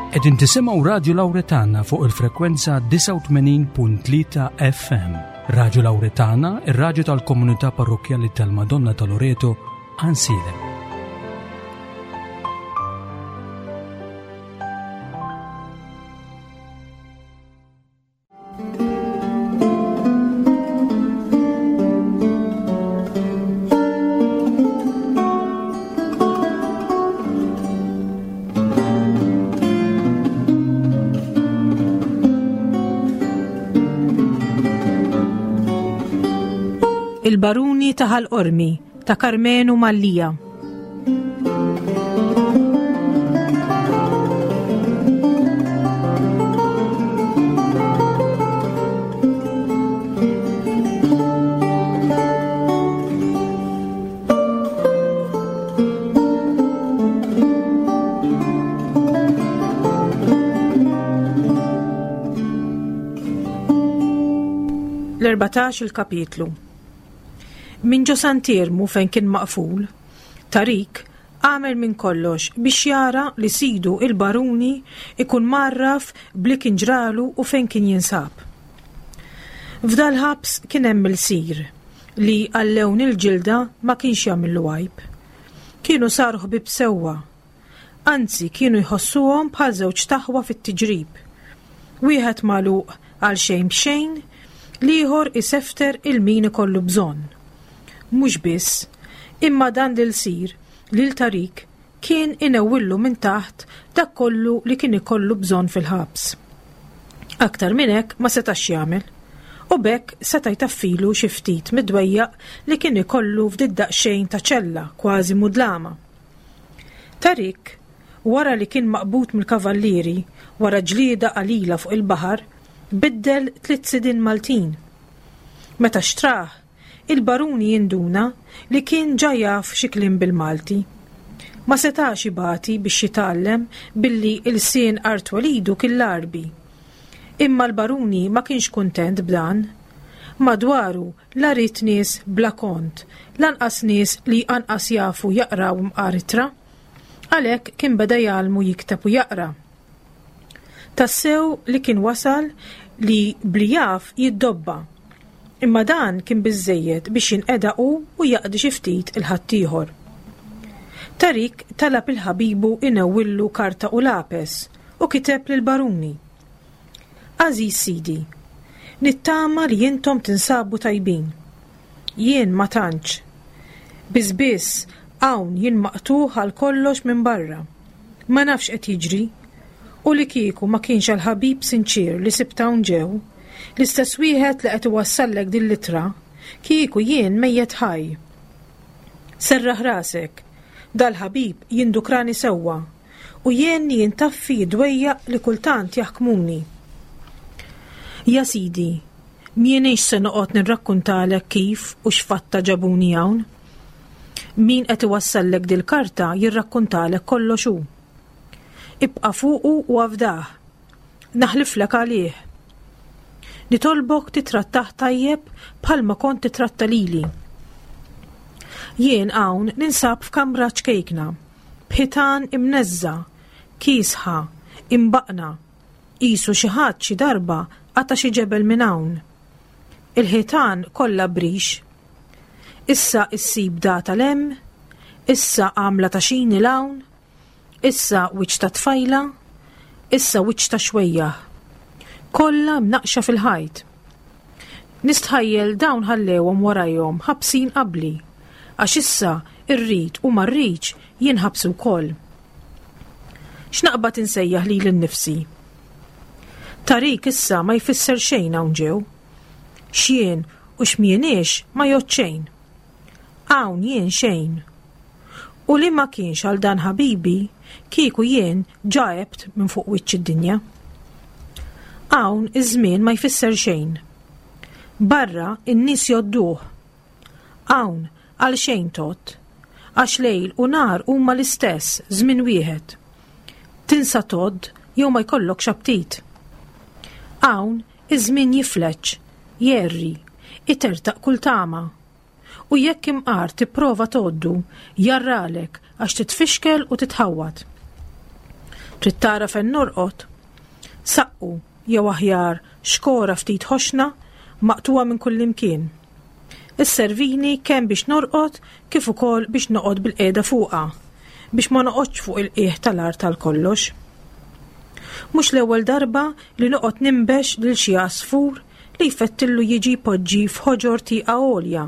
Qegħdin tisimgħu Radju Lawretana fuq il-frekwenza 89.3 FM. Radju Lawretana, ir-radju tal-komunità parrokkjali tal-Madonna ta' Loreto, Ansilem. Il-Baruni ta' Ħal Qormi ta' Karmenu Mallia. L-14 il-kapitlu. Minn ġo Sant'Iermu fejn kien maqful, Tarik għamel minn kollox biex jara li sidu il-baruni ikun mgħarraf b'li kien ġralu u fejn kien jinsab. F'dal-ħabs kien hemm ilsir li għal lewn il-ġilda ma kienx jagħmillu għajb. Kienu saru ħbieb sewwa. Anzi kienu jħossuhom bħal żewġt aħwa fit-tiġrib. Wieħed magħluq għal xejn b'xejn, l-ieħor isefter 'il min ikollu bżonn. Mhux biss, imma dan l-ilsir, lil Tarik, kien inewwillu minn taħt dak kollu li kien ikollu bżonn fil-ħabs. Aktar minn hekk ma setax jagħmel, u b'hekk seta' jtaffilu xi ftit mid-dwejjaq li kien ikollu f'did-daqsxejn ta' ċella kważi mudlama. Tarik, wara li kien maqbud mill-kavallieri wara ġlieda qalila fuq il-baħar, biddel tliet sidien Maltin. Meta xtrah, il-baruni jinduna li kien ġa jaf xi kliem bil-Malti. Ma setax ibati biex jitgħallem billi ilsien art twelidu kien l-Għarbi. Imma l-baruni ma kienx kuntent b'dan. Madwaru la ried nies bla kont, lanqas nies li anqas jafu jaqraw mqar ittra. Għalhekk kien beda jgħallmu jikteb u jaqra. Tassew li kien wasal li bli jaf jiddobba. Imma dan kien biżżejjed biex jinqeda hu u jaqdi xi ftit 'il ħaddieħor. Tarik talab 'il ħabibu inewwillu karta u lapes u kiteb lill-baruni. Għażiż sidi, nittama li intom tinsabu tajbin. Jien ma tantx. Biss biss hawn jien maqtugħ għal kollox minn barra. Ma nafx x'qed jiġri. U li kieku ma kienx għall-ħabib sinċier li sibt hawn ġew, l-istess wieħed li qed iwassallek din l-ittra, kieku jien mejjet ħaj. Serraħ rasek, dal-ħabib jindukrani sewwa u jgħinni intaffi d-dwejjaq li kultant jaħkmuni. Ja sidi, m'ienix se noqgħod nirrakkuntalek kif u x'fatta ġabuni hawn. Min qed iwassallek dil-karta jirrakkuntalek kollox hu. Ibqa' fuqu u afdah. Naħliflek għalih. Nitolbok titrattah tajjeb bħalma kont titratta lili. Jien hawn ninsab f'kamra ċkejkna, b'ħitan imneżża, kiesħa, imbaqna, qisu xi ħadd xi darba qata' xi ġebel minn hawn. Il-ħitan kollha brix. Issa issib data 'l hemm, issa għamla ta' xini 'l hawn, issa wiċċ ta' tfajla, issa wiċċ ta' xwejjaħ. Kollha mnaqqxa fil-ħajt. Nistħajjel dawn ħallewhom warajhom ħabsin qabli, għax issa rrid u ma rridx jien ħabsi wkoll. X'naqbad insejjaħ lili nnifsi? Tarik issa ma jfisser xejn hawn ġew. X'jien u x'm'jieniex ma jgħodd xejn. Hawn jien xejn. U li ma kienx għal dan ħabibi, kieku jien ġa għebt minn fuq wiċċ id-dinja. Hawn iż-żmien ma jfisser xejn. Barra in-nies jgħodduh. Hawn għal xejn tgħodd. Għax lejl u nhar huma l-istess, żmien wieħed. Tinsa tgħodd jew ma jkollokx aptit. Hawn Iż-żmien jifleġġ, jgħerri, itertaq kull tama. U jekk imqar tipprova tgħoddu, jgħarralek għax titfixkel u titħawwad. Trid tara fejn norqod? Saqqu, jew aħjar xkora ftit ħoxna, maqtugħa minn kullimkien. Isservini kemm biex norqod kif ukoll biex noqgħod bilqiegħda fuqha, biex ma noqgħodx fuq il-qiegħ tal-art għal kollox. Mhux l-ewwel darba li noqgħod ninbex lil xi għasfur li jfettillu jiġi jpoġġi f'ħoġor tieqa għolja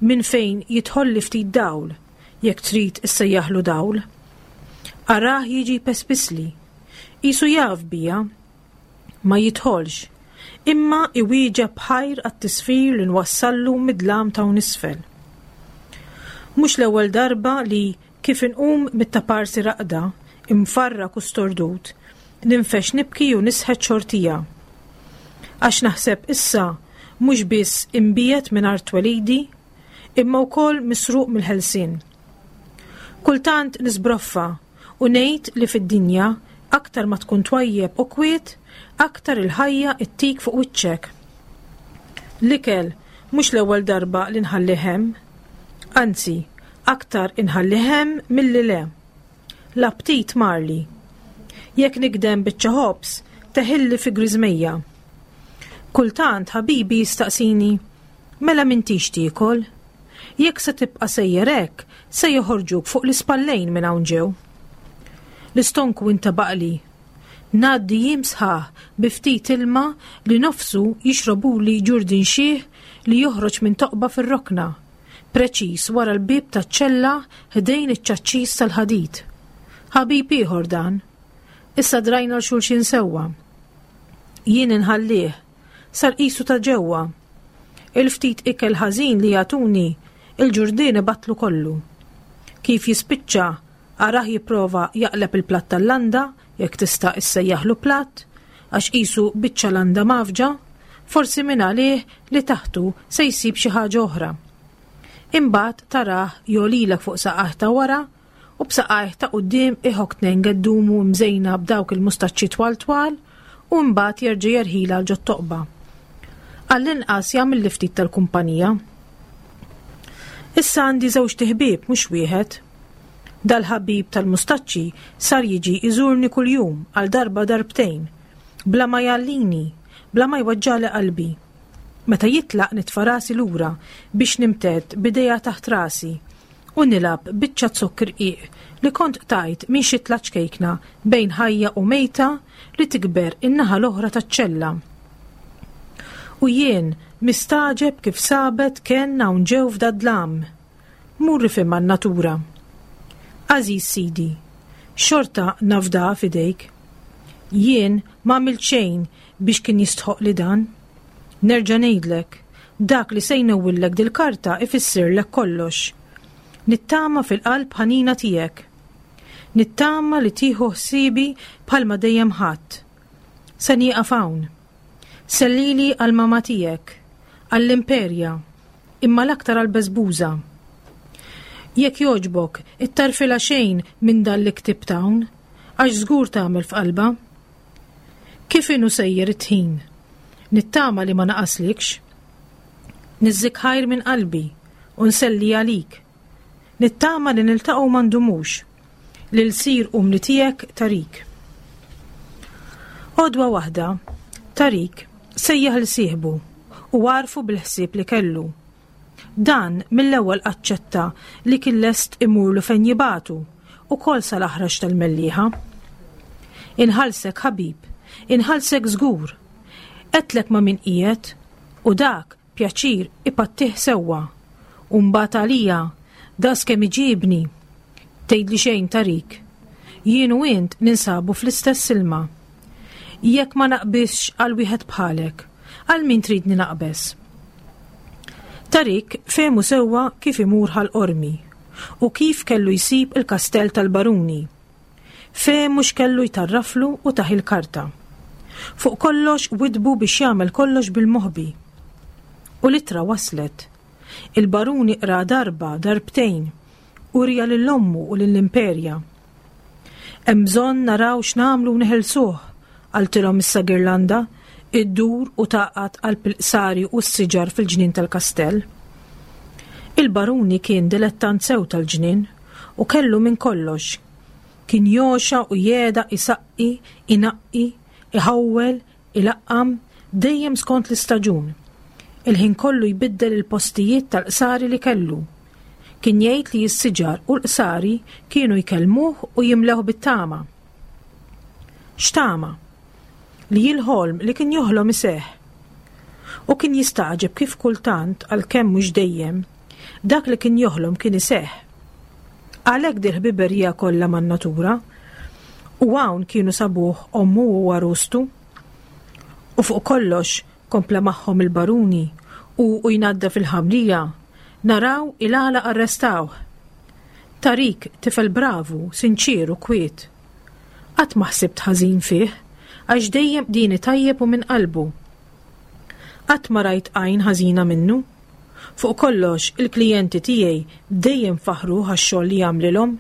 minn fejn jidħolli ftit dawl, jekk trid issejjaħlu dawl. Arah jiġi jpespisli. Qisu jaf bija. Ma jidħolx, imma iwieġeb b'ħajr għat-tisfir li nwassallu mid-dlam t'hawn isfel. Mhux l-ewwel darba li, kif inqum mit-taparsi raqda, imfarrak u stordut, ninfex nibki u nisħet xortija. Għax naħseb issa mhux biss imbiegħed minn art twelidi, imma wkoll misruq mill-ħelsien. Kultant nisbroffa u ngħid li fid-dinja aktar ma tkun twajjeb u kwiet, aktar il-ħajja ittik fuq wiċċek. L-ikel mhux l-ewwel darba li nħallih hemm. Anzi, aktar inħallih hemm milli le. L-aptit marli. Jekk nikdem biċċa ħobż, teħilli fi griżmejja. Kultant ħabibi jistaqsini, Mela m'intix tiekol? Jekk se tibqa' sejjer hekk, se joħorġuk fuq l-ispallejn minn hawn ġew. L-istonku intabaqli. Ngħaddi jiem sħaħ bi ftit ilma li nofsu jixrobuli ġurdin xiħ li joħroġ minn toqba fir-rokna, preċiż wara l-bieb taċ-ċella ħdejn iċ-ċaċċis tal-ħadid. Ħabib ieħor dan. Issa drajna 'l xulxin sewwa. Jien inħallih, sar qisu ta' ġewwa. Il-ftit ikel ħażin li jagħtuni, il-ġurdien ibattlu kollu. Kif jispiċċa, arah jipprova jaqleb il-platt tal-landa, jekk tista' issejjaħlu platt, għax qisu biċċa landa mgħaffġa, forsi mingħalih li taħtu se jsib xi ħaġa oħra. Imbagħad tarah jogħlilek fuq saqajh ta' wara u b'saqajh ta' quddiem iħokk tnejn geddumu mżejna b'dawk il-mustaċċi twal twal u mbagħad jerġa' jerħilha għal ġot-toqba. Għall-inqas jagħmilli ftit tal-kumpanija. Issa għandi żewġt iħbieb mhux wieħed. Dal-ħabib tal-mustaċċi sar jiġi jżurni kuljum għal darba darbtejn, bla ma jgħallini, bla ma jweġġagħli qalbi. Meta jitlaq nitfa' rasi lura biex nimtedd b'idejha taħt rasi u nilgħab biċċa zokk irqiq li kont qtajt minn xitla ċkejkna bejn ħajja u mejta li tikber in-naħa l-oħra taċ-ċella. U jien mistagħġeb kif sabet kenn hawn ġew f'dad-dlam. Mur ifhimha n-natura. Għażiż sidi, xorta nafdaha f'idejk. Jien m'għamilt xejn biex kien jistħoqqli dan. Nerġa' ngħidlek, dak li se jnewwillek dil-karta ifissirlek kollox. Nittama fil-qalb ħanina tiegħek. Nittama li tieħu ħsiebi bħalma dejjem ħadt. Se nieqaf hawn. Sellili għall-mama tiegħek, għall-Imperja, imma l-aktar għall-Beżbuża. Jekk jogħġbok, ittarfilha xejn minn dan li ktibt hawn, għax żgur tagħmel f'qalbha. Kif inhu sejjer it-tħin? Nittama li ma naqaslikx. Niżżik ħajr minn qalbi u nselli għalik. Nittama li niltaqgħu ma ndumux. L-ilsir umli tiegħek Tarik. Għodwa waħda, Tarik sejjaħ 'l sieħbu u għarrfu bil-ħsieb li kellu. Dan mill-ewwel aċċetta li kien lest imurlu fejn jibagħtu, ukoll sal-aħrax tal-Mellieħa. Inħallsek ħabib, inħallsek żgur. Għedtlek ma' min qiegħed u dak pjaċir ipattih sewwa. U mbagħad għalija, daqs kemm iġibni. Tgħidli xejn Tarik. Jien u int ninsabu fl-istess ilma. Jekk ma naqbiżx għal wieħed bħalek, għal min tridni naqbeż? Tarik fehmu sewwa kif imur Ħal Qormi u kif kellu jsib il-kastell tal-baruni. Fehmu x'kellu jtarraflu u tah il-karta. Fuq kollox widdbu biex jagħmel kollox bil-moħbi. U l-ittra waslet. Il-baruni qraha darba, darbtejn, u wriha lil ommu u lill-Imperja. Hemm bżonn naraw x'nagħmlu u neħilsuh, qaltilhom issa Girlanda, iddur u tagħqad qalb il-qsari u s-siġar fil-ġnien tal-kastell. Il-baruni kien dilettant sew tal-ġnien u kellu minn kollox. Kien jogħxa u jegħdaq isaqqi, inaqqi, iħawwel, ilaqqam, dejjem skont l-istaġun. Il-ħin kollu jbiddel il-postijiet tal-qsari li kellu. Kien jgħid li s-siġar u l-qsari kienu jkellmuh u jimlewh bit-tama. X'tama? Li l-ħolm li kien joħlom iseħħ. U kien jistagħġeb kif kultant, għalkemm mhux dejjem, dak li kien joħlom kien iseħħ. Għalhekk dil-ħbiberija kollha man-natura. U hawn kienu sabuh ommu u għarustu. U fuq kollox kompla magħhom il-baruni u u jnaddaf il-ħamrija, naraw il-għala arrestawh. Tarik tifel bravu, sinċier u kwiet. Qatt ma ħsibt ħażin fih, għax dejjem qdieni tajjeb u minn qalbu. Qatt ma rajt għajn ħażina minnu. Fuq kollox, il-klijenti tiegħi dejjem faħħruh għax-xogħol li jagħmlilhom.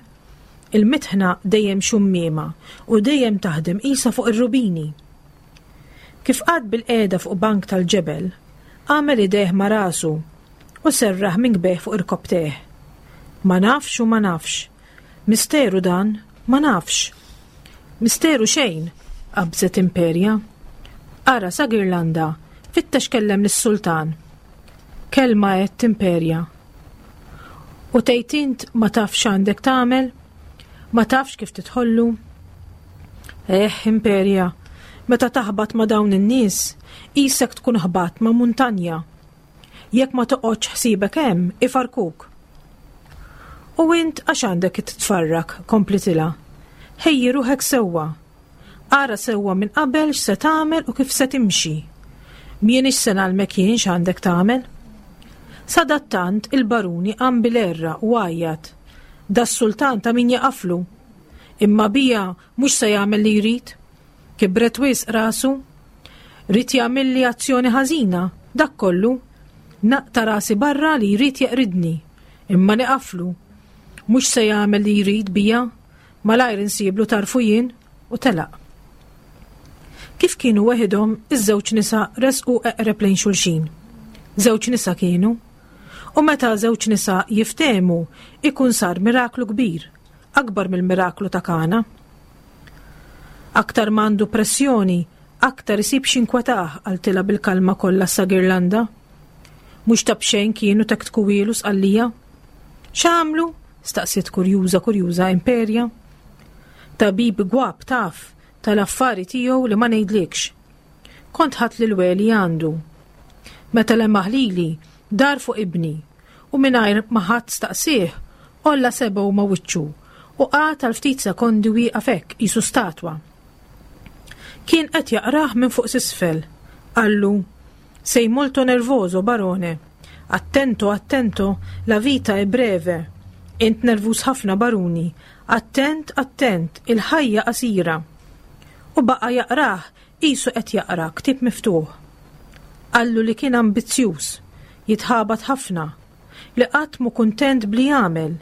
Il-mitħna dejjem xummiema u dejjem taħdem qisha fuq ir-rubini. Kif qagħad bilqiegħda fuq bank tal-ġebel, għamel idejh ma' rasu u serraħ minkbejh fuq irkopptejh. Ma nafx u ma nafx. Misteru dan, ma nafx. Misteru xejn, qabżet Imperja. Ara sa Girlanda, fittex kellem lis-sultan. Kelma għedt Imperja. U tgħid int ma tafx x'għandek tagħmel? Ma tafx kif tidħollu? Eh, Imperja, meta taħbat ma' dawn in-nies, qisek tkun ħbatt ma' muntanja. Jekk ma toqgħodx ħsiebek hemm, ifarkuk. U int għax għandek titfarrak, komplitilha. Ħejji ruħek sewwa. Ara sewwa minn qabel x'se tagħmel u kif se timxi. M'ienix se ngħallmek jien x'għandek tagħmel. Sadattant il-baruni qam bil-għerra u għajjat. Das-sultan ta' min jaqaflu. Imma bija mhux se jagħmel li jrid. Kibret wisq rasu. Ried jagħmilli azzjoni ħażina, dak kollu. Naqta' rasi barra li jrid jeqridni. Imma niqaflu. Mhux se jagħmel li jrid bija. Malajr insiblu tarfu jien u telaq. Kif kienu weħidhom, iż-żewġ nisa resqu eqreb lejn xulxin. Żewġ nisa kienu. U meta żewġ nisa jiftehmu, ikun sar miraklu kbir, akbar mill-miraklu ta' Kana. Aktar ma għandu pressjoni, aktar isib x'inkwetah, qaltilha bil-kalma kollha sa Girlanda. Mhux ta' b'xejn kienu tektkuwielu Sqallija. X'għamlu? staqsiet kurjuża kurjuża Imperja. Tabib gwab taf tal-affari tiegħu li ma ngħidlikx. Kont ħadt lil Weli għandu. Meta lemaħ lili, dar fuq ibni u mingħajr ma ħadd staqsieh, għolla sebgħu ma' wiċċu u qagħad għal ftit sekondi wieqaf hekk qisu statwa. Kien qed jaqrah minn fuq s'isfel. Qallu, Sei molto nervoso, barone. Attento, attento, la vita è breve. Int nervuż ħafna, baruni. Attent, attent, il-ħajja qasira. U baqa' jaqrah qisu qed jaqra ktieb miftuħ. Qallu li kien ambizzjuż, jitħabat ħafna, li qatt mhu kuntent b'li jagħmel,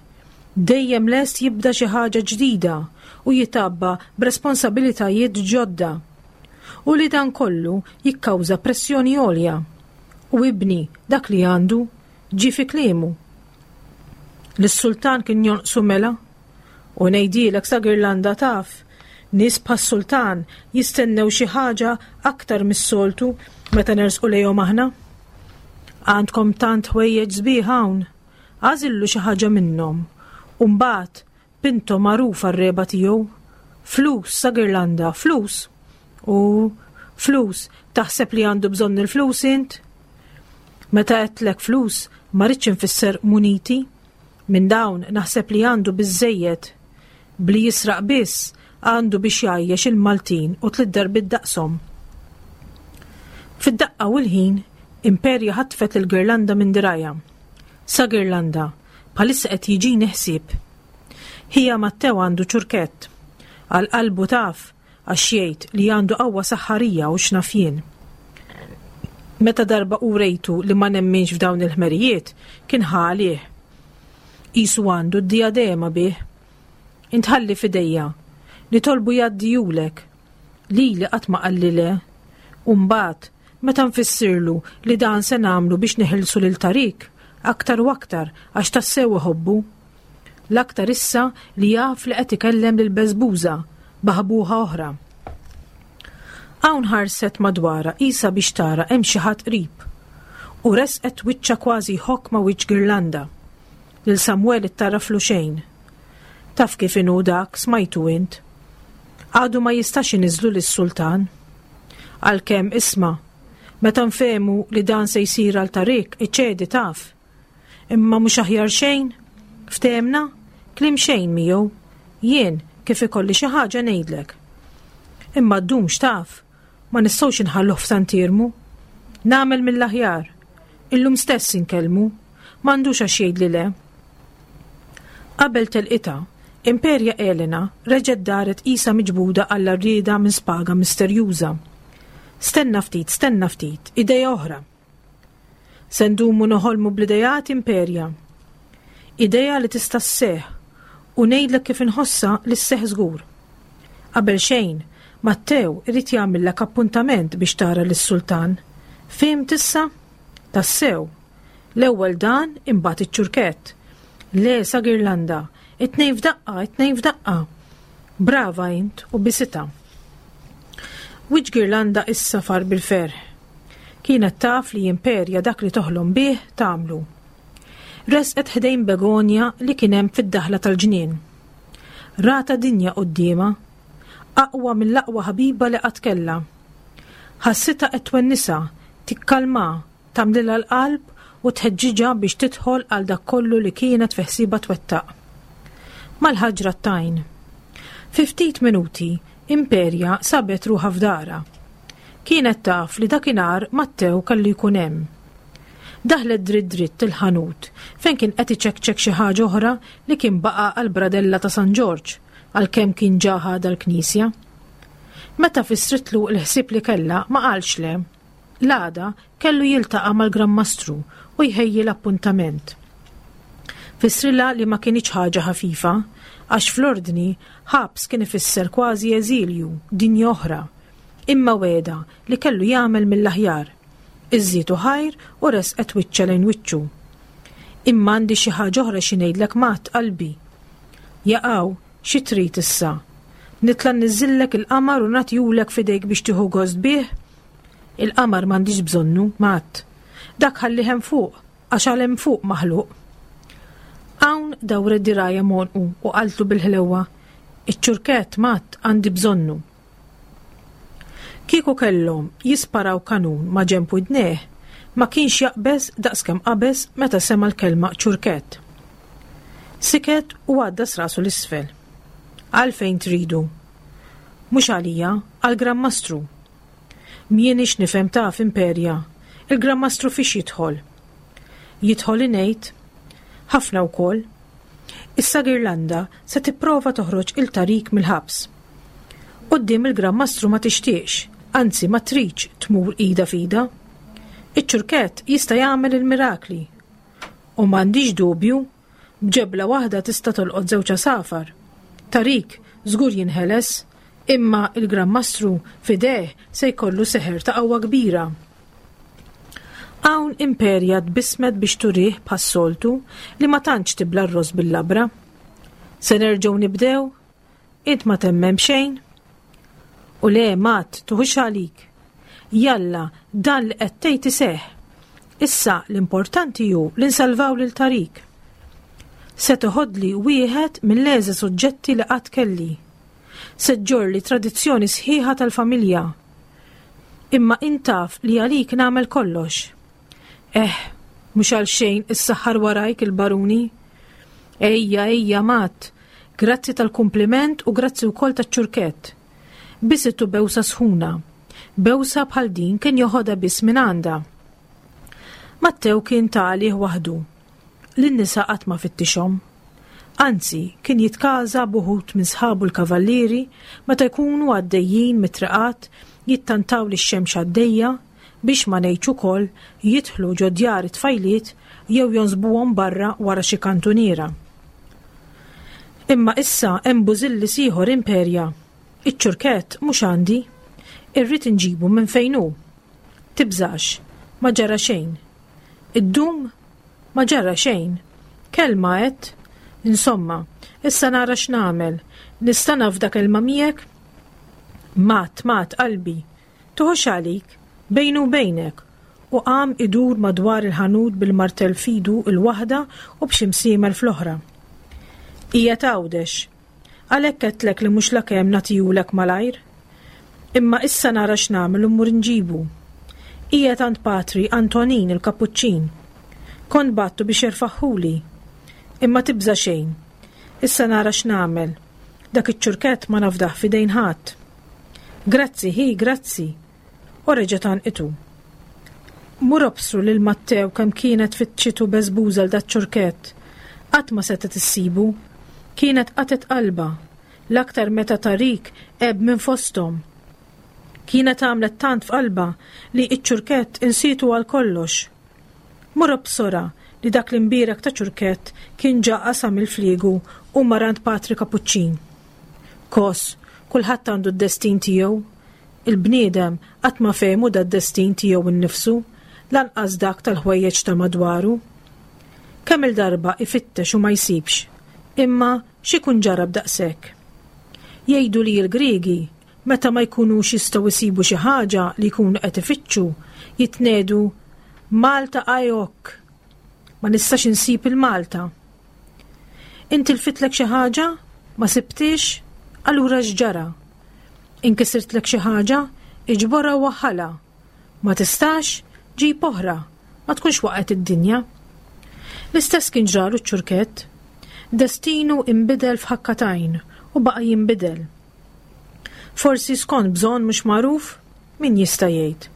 dejjem lest jibda xi ħaġa ġdida u jitgħabba b'responsabilitajiet ġodda. U li dan kollu jikkawża pressjoni għolja. U ibni dak li għandu, ġie fi kliemu. Lis-sultan kien jonqsu mela? U ngħidilek sa Girlanda taf, nies bħas-sultan jistennew xi ħaġa aktar mis-soltu meta nersqu lejhom aħna. Għandkom tant ħwejjeġ sbieħ hawn, għażillu xi ħaġa minnhom. U mbagħad Pinto magħruf għar-regħba tiegħu. Flus sa Girlanda, flus! U flus, taħseb li għandu bżonn il-flus int? Meta għedtlek flus, ma ridtx infisser muniti. Minn dawn naħseb li għandu biżżejjed. Bli jisraq biss għandu biex jgħajjex il-Maltin u tliet darbiet daqshom. Fid-daqqa u l-ħin, Imperja ħatfet lil Girlanda minn dirgħajha. Sa Girlanda, bħalissa qed jiġini ħsieb. Ħija Mattew għandu ċurkett. Għal qalbu taf, għax jgħid li għandu qawwa saħħarija u x'naf jien. Meta darba urejtu li ma nemminx f'dawn il-ħmerijiet, kien ħa għalih. Qisu għandu d-dijadema bih. Int ħalli f'idejja. Nitolbu jgħaddihulek. Lili qatt ma qalli le. U mbagħad, meta nfissirlu li dan se nagħmlu biex neħilsu lil Tarik, aktar u aktar għax tassew iħobbu. L-aktar issa li jaf li qed ikellem lil Beżbuża, baħbuħa oħra. Hawn ħarset madwarha qisha biex tara hemm xi ħadd qrib. U resqet wiċċha kważi jħokk ma' wiċċ Girlanda. Lil Samwel ittarraflu xejn. Taf kif inhu dak, smajtu int. Għadu ma jistax iniżżlu lis-sultan. Għalkemm, isma', meta nfehmu li dan se jsir għal Tarik, iċedi taf. Imma mhux aħjar xejn? Ftehemna? Kliem xejn miegħu. Jien, kif ikolli xi ħaġa ngħidlek. Imma ddumx taf, ma nistgħux inħalluh f'Sant'Iermu. Nagħmel mill-aħjar. Illum stess inkellmu. M'għandux għax jgħidli le. Qabel telqitha, Imperia Elena reġgħet daret qisha miġbuda għall-għarrieda minn spaga misterjuża. Stenna ftit, stenna ftit, idea oħra. Se ndumu noħolmu bl-ideat Imperia. Idea li tista' sseħħ u ngħidlek kif inħossha li sseħħ żgur. Qabel xejn, Mattew irid jagħmillek appuntament biex tara lis-sultan. Fhimt issa? Tassew. L-ewwel dan imbagħad iċ-ċurkett. Le sa Girlanda, it-tnejn f'daqqa, it-tnejn f'daqqa. Brava int u bisitha. Wiċċ Girlanda issa far bil-ferħ. Kienet taf li Imperia dak li toħlom bih tagħmlu. Resqet ħdejn begonja li kien hemm fid-daħla tal-ġnien. Ratha dinja quddiemha, aqwa mill-aqwa ħabiba li qatt kellha. Ħassitha qed twennisha, tikkalmaha, tagħmlilha l-qalb u tħeġġiġha biex tidħol għal dak kollu li kienet fi ħsiebha twettaq. Mal-ħaġra t-tajn. Fi ftit minuti, Imperia sabet ruħha f'darha. Kienet taf li dakinhar Mattew kellu jkun hemm. Daħlet dritt dritt il-ħanut fejn kien qed iċekċek xi ħaġa oħra li kien baqa' għall-bradella ta' San Ġorġ għalkemm kien ġa ħadha l-knisja. Meta fissritlu l-ħsieb li kellha ma qalx le. L-għada kellu jiltaqa' mal-Gran Mastru u jħejji l-appuntament. Fissrilha li ma kinitx ħaġa ħafifa, għax fl-Ordni ħabs kien ifisser kważi eżilju, dinja oħra. Imma wegħda li kellu jagħmel mill-aħjar. Iżżietu ħajr u resqet wiċċha lejn wiċċu. Imma għandi xi ħaġa oħra xi ngħidlek Matt, qalbi. Jaqaw, xi trid issa? Nitla' nniżżillek il-qamar u nagħtihulek f'idejk biex tieħu gost bih? Il-qamar m'għandix bżonnu, Matt. Dak ħallih hemm fuq, għax għal hemm fuq maħluq. Hawn dawret dirgħajha m'għonqu u qaltlu bil-ħlewwa, Iċ-ċurkett, Matt, għandi bżonnu. Kieku kellhom jisparaw kanun ma' ġenb widnejh, ma kienx jaqbeż daqskemm qabeż meta sema' l-kelma ċurkett. Siket u għaddas rasu 'l isfel. Għalfejn tridu? Mhux għalija, għall-Gran Mastru. M'jienix nifhem taf, Imperia, il-Gran Mastru fiex jidħol? Jidħol ingħid. Ħafna wkoll. Issa Girlanda se tipprova toħroġ il Tarik mill-ħabs. Quddiem il-Gran Mastru ma tixtieqx, anzi ma tridx tmur ida f'ida. Iċ-ċurkett jista' jagħmel il-mirakli. U m'għandix dubju, b'ġebla waħda tista' tolqot żewġ għasafar. Tarik żgur jinħeles, imma il-Gran Mastru f'idejh se jkollu seħer ta' qawwa kbira. Hawn Imperia tbissmet biex turih bħas-soltu li ma tantx tibla r-ross bil-labra. Se nerġgħu nibdew? Int ma temmen b'xejn? U le, Matt, tuħux għalik. Jalla, dan li qed tgħid iseħħ. Issa l-importanti hu li nsalvaw lil Tarik. Se toħodli wieħed mill-għeżież oġġetti li qatt kelli. Se ġġorrli tradizzjoni sħiħa tal-familja. Imma int taf li għalik nagħmel kollox. Eh, mhux għal xejn issaħħar warajk il-baruni. Ejja, ejja, Matt, grazzi tal-kumpliment u grazzi wkoll taċ-ċurkett. Bisitu bewsa sħuna. Bewsa bħal din kien joħodha biss minn għandha. Mattew kien ta' għalih waħdu. Lin-nisa qatt ma fittixhom. Anzi, kien jitkaża b'uħud minn sħabu l-kavallieri meta jkunu għaddejjin mit-triqat jittantaw lix-xemx għaddejja, biex ma ngħidx ukoll jidħlu ġo djar it-tfajliet jew jonsbuhom barra wara xi kantuniera. Imma issa hemm bużillis ieħor imperja. Iċ-ċurkett mhux għandi. Irrid inġibu minn fejn hu. Tibżax, ma ġara xejn. Iddum? Ma ġara xejn. Kelma għedt. Insomma, issa nara x'nagħmel. Nista' nafda kelma miegħek? Mat, mat, qalbi. Tuħux għalik, bejni u bejnek. U qam idur madwar il-ħanut bil-martell f'idu l-waħda u b'xi msiemer fl-oħra. Qiegħed Għawdex. Għalhekk għedtlek li mhux lakemm nagħtihulek malajr. Imma issa nara x'nagħmel u mmur inġibu. Qiegħed għand Patri Antonin il-Kapuċċin. Kont bgħattu biex jerfagħhuli. Imma tibża' xejn. Issa nara x'nagħmel. Dak iċ-ċurkett ma nafdah f'idejn ħadd. Grazzi, ħi, grazzi. U reġgħet għanqitu. Mur obsru lil Mattew kemm kienet fittxitu beżbuża 'l daċ-ċurkett. Qatt ma setgħet issibu. Kienet qatgħet qalbha, l-aktar meta Tariq għeb minn fosthom. Kienet għamlet tant f'qalbha li ċ-ċurkett insietu għal kollox. Mur obsorha li dak l-imbierek ta' ċurkett kien ġa qasam il-fliegu u mar għand Patri Kapuċċin. Kos, kulħadd għandu d-destin tiegħu. Il-bniedem qatt ma fehmu dad-destin tiegħu nnifsu, lanqas dak tal-ħwejjeġ ta' madwaru. Kemm-il darba ifittex u ma jsibx. Imma x'ikun ġara b'daqshekk? Jgħidu li l-Griegi, meta ma jkunux jistgħu jsibu xi ħaġa li jkunu qed ifittxu, jitnegħdu Malta aeok! Ma nistax insib il-Malta. Intilfitlek xi ħaġa? Ma sibtiex? Allura x'ġara? Inkisirtlek xi ħaġa? Iġborha u waħħalha. Ma tistax? Ġib oħra. Ma tkunx waqgħet id-dinja. L-istess kien ġralu ċ-ċurkett. Destinu inbidel f'ħakka t'għajn u baqa' jinbidel. Forsi skont bżonn mhux magħruf? Min jista' jgħid?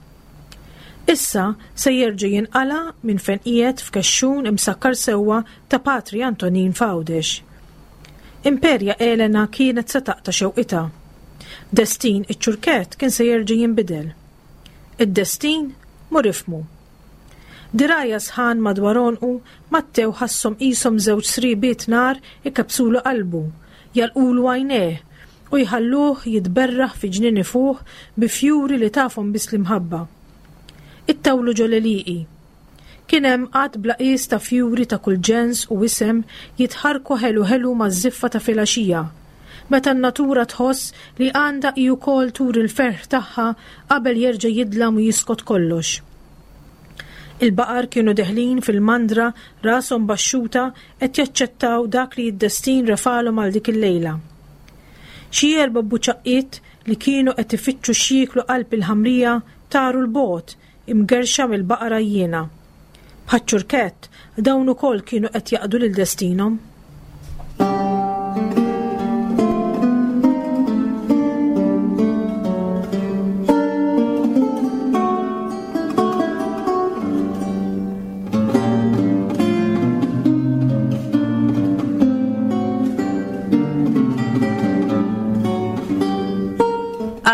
Issa se jerġa' jinqala' minn fejn qiegħed f'kexxun imsakkar sewwa ta' Patri Antonin f'Għawdex. Imperja Elena kienet se taqta' xewqitha. Destin iċ-ċurkett kien se jerġa' jinbidel. Id-destin? Mur ifhmu. Dirgħajha sħan madwar għonqu, Mattew ħasshom qishom żewġ sriebiet nar ikebbsulu qalbu, jagħlqulu għajnejh, u jħalluh jitberraħ fi ġnien ifuħ bi fjuri li tafhom biss l-imħabba. Ittawlu ġol-għelieqi. Kien hemm għadd bla qies ta' fjuri ta' kull ġens u isem jitħarrku ħelu ħelu maż-żiffa ta' filgħaxija, meta n-natura tħoss li għandha hi wkoll turi l-ferħ tagħha qabel jerġa' jidlam u jiskot kollox. Il-baqar kienu deħlin fil-mandra rashom baxxuta qed jaċċettaw dak li d-destin refagħlhom għal dik il-lejla. Xi erba' buċaqqiet li kienu qed ifittxu x'jieklu qalb il-ħamrija taru 'l bogħod, imgerrxa mill-baqar għajjiena. Bħaċ-ċurkett, dawn ukoll kienu qed jaqdu lil destinhom.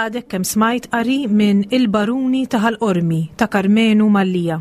Għadek kemm smajt qari minn Il-Baruni ta' Ħal Qormi ta' Karmenu Mallia.